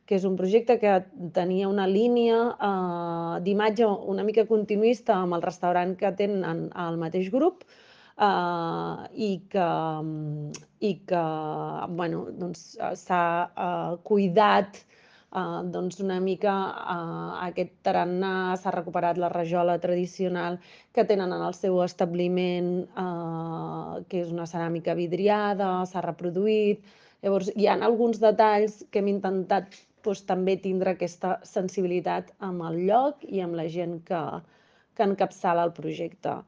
que és un projecte que tenia una línia d'imatge una mica continuista amb el restaurant que tenen al mateix grup i que bueno, doncs, s'ha cuidat una mica aquest tarannà, s'ha recuperat la rajola tradicional que tenen en el seu establiment, que és una ceràmica vidriada, s'ha reproduït. Llavors, hi ha alguns detalls que hem intentat també tindre aquesta sensibilitat amb el lloc i amb la gent que encapçala el projecte.